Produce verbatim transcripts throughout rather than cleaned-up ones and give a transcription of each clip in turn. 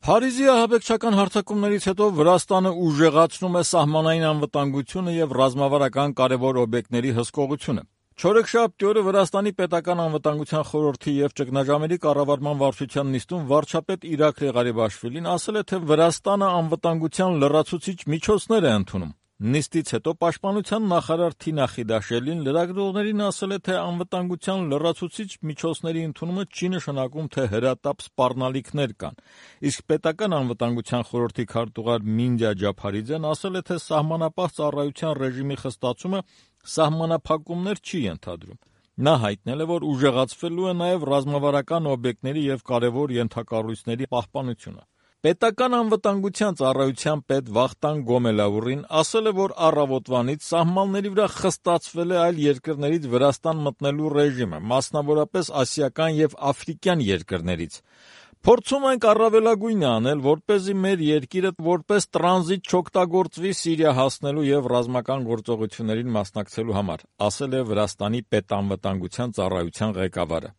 Փարիզի ահաբեկչական հարձակումներից հետո Վրաստանը ուժեղացնում է սահմանային անվտանգությունը եւ ռազմավարական կարեւոր օբյեկտների հսկողությունը։ Չորեքշաբթի օրը Վրաստանի պետական անվտանգության խորհրդի եւ ճգնաժամերի կառավարման վարչության նիստում վարչապետ Իրաքլի Ղարիբաշվիլին ասել է, թե Վրաստանը անվտանգության լրացուցիչ միջոցներ է ընդունում։ Նիստից հետո պաշտպանության նախարար Թինա Խիդաշելին լրագրողներին ասել է, թե անվտանգության լրացուցիչ միջոցների ընդունումը չի նշանակում, թե հրատապ սպառնալիքներ կան, իսկ պետական անվտանգության խորհրդի քարտուղար Մինդիա Ջափարիձեն ասել է, թե սահմանապահ ծառայության ռեժիմի խստացումը սահմանափակումներ չի ենթադրում։ Նա հայտնել է, որ ուժեղացվելու է նաև ռազմավարական օբյեկտների եւ կարևոր ենթակառույցների պահպանությունը։ Պետական անվտանգության ծառայության պետ Վախտանգ Գոմելաուրին ասել է, որ առավոտվանից սահմանների վրա խստացվել է այլ երկրներից Վրաստան մտնելու ռեժիմը, մասնավորապես ասիական եւ աֆրիկյան երկրներից։ Փորձում ենք առավելագույնը անել, որպեսզի մեր երկիրը որպես տրանզիտ չօգտագործվի Սիրիա հասնելու եւ ռազմական գործողություններին մասնակցելու համար, ասել է Վրաստանի պետանվտանգության ծառայության ղեկավարը։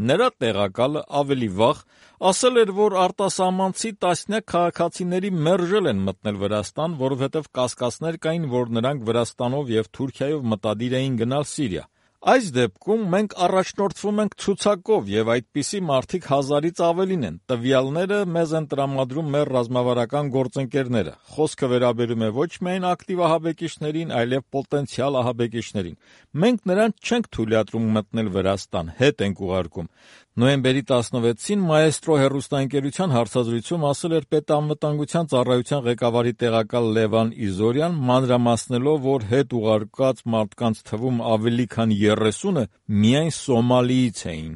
Նրա տեղակալը ավելի վաղ ասել էր, որ արտասահմանցի տասնյակ քաղաքացիների մերժել են մտնել Վրաստան, որովհետև կասկածներ կային, որ նրանք Վրաստանով եւ Թուրքիայով մտադիր էին գնալ Սիրիա։ Այս դեպքում մենք առաջնորդվում ենք ցուցակով եւ այդպիսի մարդիկ հազարից ավելին են։ Տվյալները մեզ են տրամադրում մեր ռազմավարական գործընկերները։ Խոսքը վերաբերում է ոչ միայն ակտիվ ահաբեկիչներին, այլև պոտենցիալ ահաբեկիչներին։ Մենք նրանց չենք թույլատրում մտնել Վրաստան, հետ ենք ուղարկում։ Նոյեմբերի տասնվեցին Մաեստրո հեռուստաընկերության հարցազրույցում ասել էր պետանվտանգության ծառայության ղեկավարի տեղակալ Լևան Իզորյան, մանրամասնելով, որ հետ ուղարկած մարդկանց թվում ավելի քան երեսունը միայն Սոմալիից էին։